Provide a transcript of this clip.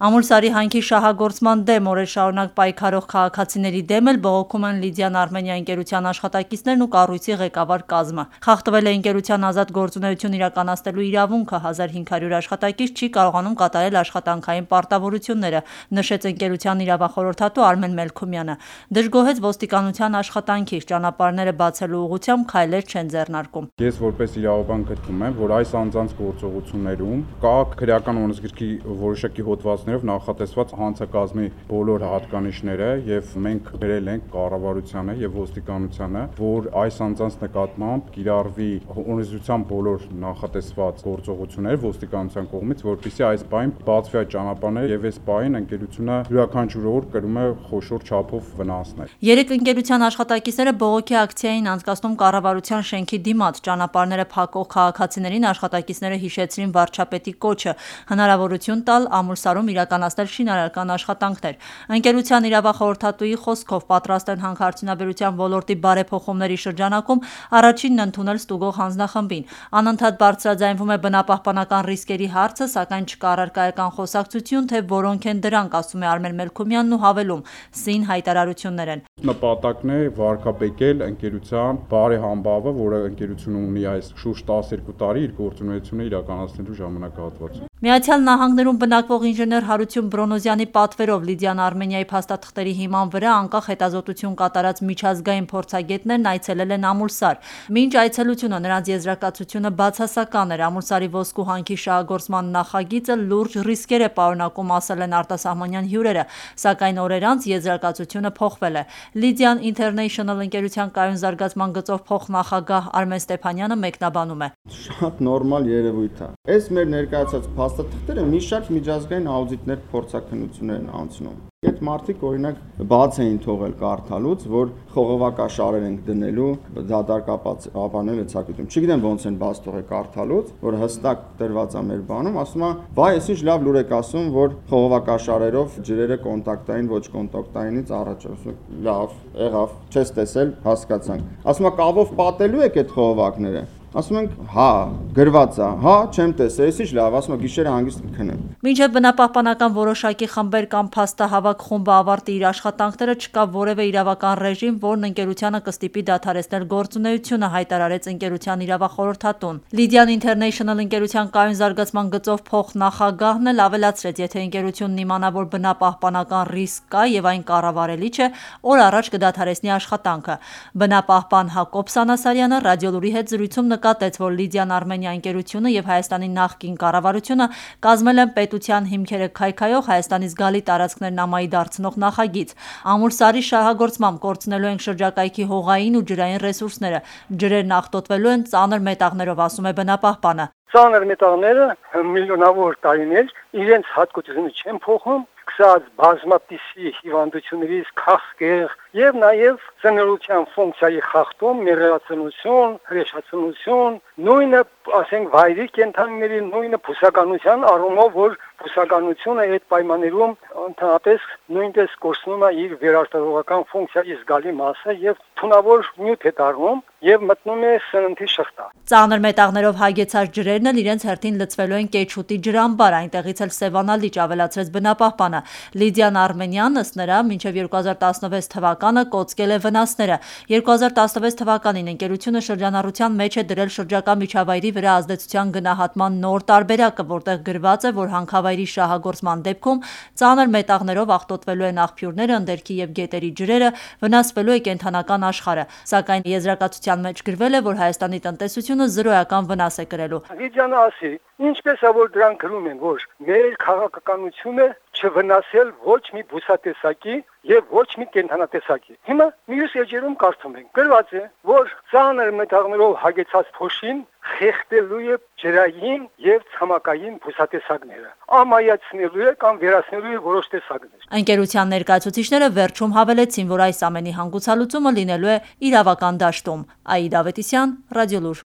Ամուլսարի հանքի շահագործման դեմ օրեր շարունակ պայքարող քաղաքացիների դեմ էլ բողոքում են Լիդիան Արմենիա ընկերության աշխատակիցներն ու կառույցի ղեկավար կազմը։ Խախտվել է ընկերության ազատ գործունեություն իրականացնելու իրավունքը, 1500 աշխատակից չի կարողանում կատարել աշխատանքային պարտավորությունները, նշեց ընկերության իրավախորհրդատու Արմեն Մելքումյանը։ Դժգոհեց ոստիկանության աշխատանքից, ճանապարհները բացելու ուղղությամբ քայլեր չեն ձեռնարկում։ Ես որպես իրավաբան գտնում եմ, որ այս անձանց գործողություններում կա քրեական օրենսգրքի որոշակի հոդվածներով նախատեսված հանցակազմի բոլոր հատկանիշները եւ մենք գրել ենք կառավարությանը եւ ոստիկանությանը, որ այս անձանց նկատմամբ կիրառվի օրենսդրության բոլոր նախատեսված գործողությունները ոստիկանության կողմից, որպեսզի այս բան բացվի այդ ճանապարհները եւ այս բանին ընկերությունը յուրաքանչյուր օր կրում է խոշոր չափով վնասներ։ Երեք ընկերության աշխատակիցները բողոքի ակցիային անցկացնում կառավարության շենքի դիմաց, ճանապարհները փակող քաղաքացիներին աշխատակիցները հիշեցրին վարչապետի կոչը, հնարավորություն տալ Ամուլսարում իրականացնել շինարարական աշխատանքներ։ Ընկերության իրավախորհրդատուի խոսքով պատրաստ են հանքարդյունաբերության ոլորտի բարեփոխումների շրջանակում առաջինն ընդունել ստուգող հանձնախմբին։ Անընդհատ բարձրաձայնվում է բնապահպանական ռիսկերի հարցը, սակայն չկա առարկայական խոսակցություն, թե որոնք են դրանք, ասում է Արմեն Մելքումյանն ու հավելում՝ սին հայտարարություններ են։ Նպատակն է վարկաբեկել ընկերության բարեհամբավը, որը ընկերությունը ունի այս շուրջ 12 տարի իր գործունեությունը իրականացնելու ժամանակահատվածում։ Միացյալ Նահանգներում բնակվող ինժեներ Հարություն Բրոնոզյանի պատվերով Լիդիան Արմենիայի փաստաթղթերի հիման վրա անկախ հետազոտություն կատարած միջազգային փորձագետներն այցելել են Ամուլսար։ Մինչ այցելությունը նրանց եզրակացությունը բացասական էր։ Ամուլսարի ոսկու հանքի շահագործման նախագիծը լուրջ ռիսկեր է պարունակում, ասել են արտասահմանյան հյուրերը, սակայն օրեր անց եզրակացությունը փոխվել է։ Լիդիան International ընկերության կայուն զարգացման գծով փոխնախագահ Արմեն Ստեփանյանը մեկնաբանում է։ Շատ նորմալ երևույթ է։ Այս մեր ներկայացած փաստաթղթերը մի շարք միջազգային աուդիտներ փորձաքննություններ են անցնում։ Այդ մարդիկ օրինակ բաց էին թողել կարդալուց, որ խողովակաշարեր ենք դնելու դատարկապանել ցակույտում։ Չգիտեմ ոնց են բաց թողել կարդալուց, որ հստակ տրված է մեր բանում, ասում է, վայ, ես ինչ լավ լուր եք ասում, որ խողովակաշարերով ջրերը կոնտակտային, ոչ կոնտակտայինից առաջ, ասում լավ, եղավ, չես տեսել, հասկացանք։ Ասում է, կավով պատելու եք այդ խողովակները։ Ասում ենք, հա, գրված է, հա, չեմ տեսել, ես ինչ լավ, ասում եմ, գիշերը հանգիստ կքնեմ։ Մինչև բնապահպանական որոշակի խմբեր կամ փաստահավաք խումբը ավարտի իր աշխատանքները, չկա որևէ իրավական ռեժիմ, որն ընկերությանը կստիպի դադարեցնել գործունեությունը, հայտարարեց ընկերության իրավախորհրդատուն։ Լիդիան International ընկերության կայուն զարգացման գծով փոխնախագահն էլ ավելացրեց, եթե ընկերությունն իմանա, որ բնապահպանական ռիսկ կա եւ այն կառավարելի չէ, օր առաջ կդադարեցնի աշխատանքը։ Բնապահպան Հակոբ Սանասարյանը Ռադիոլուրի հետ զրույցում նկատեց, որ Լիդիան Արմենիա ընկերությունը եւ Հայաստանի նախկին կառավարությունը կազմել են պետության հիմքերը քայքայող Հայաստանի զգալի տարածքներն ամայի դարձնող նախագիծ։ Ամուլսարի շահագործմամբ կորցնելու են շրջակայքի հողային ու ջրային ռեսուրսները։ Ջրերն աղտոտվելու են ծանր մետաղներով, ասում է բնապահպանը։ Ծանր մետաղները միլիոնավոր տարիներ իրենց հատկությունը չեն փոխում, սկսած բազմապիսի հիվանդություններից քաղցկեղ եւ նաեւ ծնորության ֆունկցիայի խախտում, մեղրացնություն, հրեշացնություն, նույնը, ասենք, վայրի կենդանիների նույնը բուսականության առումով, որ բուսականությունը այդ պայմաններում ընդհանրապես նույնպես կորցնում է իր վերարտադրողական ֆունկցիայի զգալի մասը եւ թունավոր նյութ է դառնում եւ մտնում է սննդի շղթա։ Ծանր մետաղներով հագեցած ջրերն էլ իրենց հերթին լցվելու են Կեչուտի ջրամբար, այնտեղից էլ Սևանա լիճ, ավելացրեց բնապահպանը։ Լիդիան Արմենյան, ըստ նրա, մինչև 2016 թվականը կոծկել է վնասները։ 2016 թվականին ընկերությունը շրջանառության մեջ է դրել շրջակա միջավայրի վրա ազդեցության գնահատման նոր տարբերակը, որտեղ գրված է, որ հանքավայրի շահագործման դեպքում ծանր մետաղներով աղտոտվելու են աղբյուրները, ընդերքի եւ գետերի ջրերը, վնասվելու է կենդանական աշխարհը։ Սակայն եզրակացության մեջ գրվել է, որ Հայաստանի տնտեսությունը զրոյական վնաս է կրելու։ Լիդիանը ասի, ինչպես է որ դրանք գրում են, որ մեր քաղաքականությունը չվնասել ոչ մի բուսատեսակի եւ ոչ մի կենդանատեսակի։ Հիմա մյուս էջերում կարդում ենք, գրված է, որ ծանր մետաղներով հագեցած փոշին խեղդելու է ջրային եւ ցամաքային բուսատեսակները, ամայացնելու է կամ վերացնելու է որոշ տեսակներ։ Ընկերության ներկայացուցիչները վերջում հավելեցին, որ այս ամենի հանգուցալուծումը լինելու է իրավական դաշտում։ Աիդ Ավետիսյան, Ռադիոլուր։